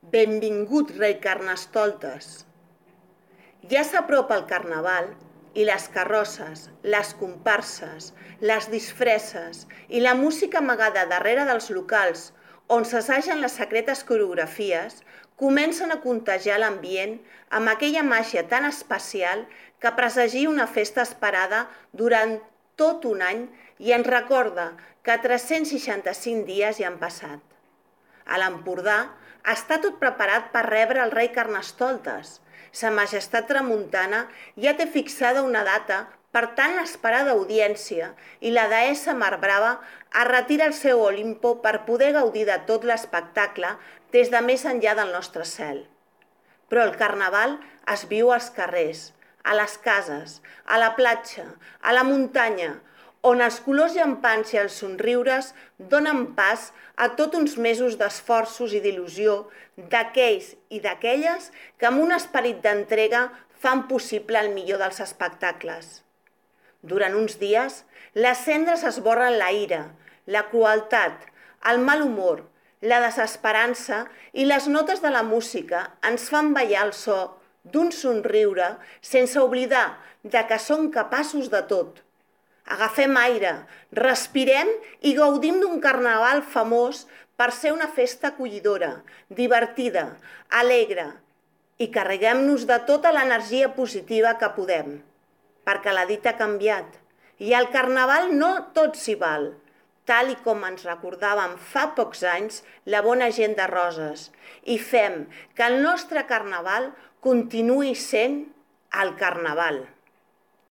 Benvingut, rei Carnestoltes. Ja s'apropa el Carnaval i les carrosses, les comparses, les disfresses i la música amagada darrere dels locals on s'assagen les secretes coreografies comencen a contagiar l'ambient amb aquella màgia tan especial que presagia una festa esperada durant tot un any i ens recorda que 365 dies hi han passat. A l'Empordà està tot preparat per rebre el rei Carnestoltes. Sa Majestat Tramuntana ja té fixada una data per tan esperada audiència i la deessa Mar Brava es retira al seu Olimpo per poder gaudir de tot l'espectacle des de més enllà del nostre cel. Però el Carnaval es viu als carrers, a les cases, a la platja, a la muntanya, on els colors llampants i els somriures donen pas a tots uns mesos d'esforços i d'il·lusió d'aquells i d'aquelles que amb un esperit d'entrega fan possible el millor dels espectacles. Durant uns dies, les cendres esborren la ira, la crueltat, el mal humor, la desesperança i les notes de la música ens fan ballar el so d'un somriure sense oblidar que som capaços de tot. Agafem aire, respirem i gaudim d'un carnaval famós per ser una festa acollidora, divertida, alegre i carreguem-nos de tota l'energia positiva que podem. Perquè la dita ha canviat i al carnaval no tot s'hi val, tal i com ens recordàvem fa pocs anys la bona gent de Roses, i fem que el nostre carnaval continuï sent el carnaval.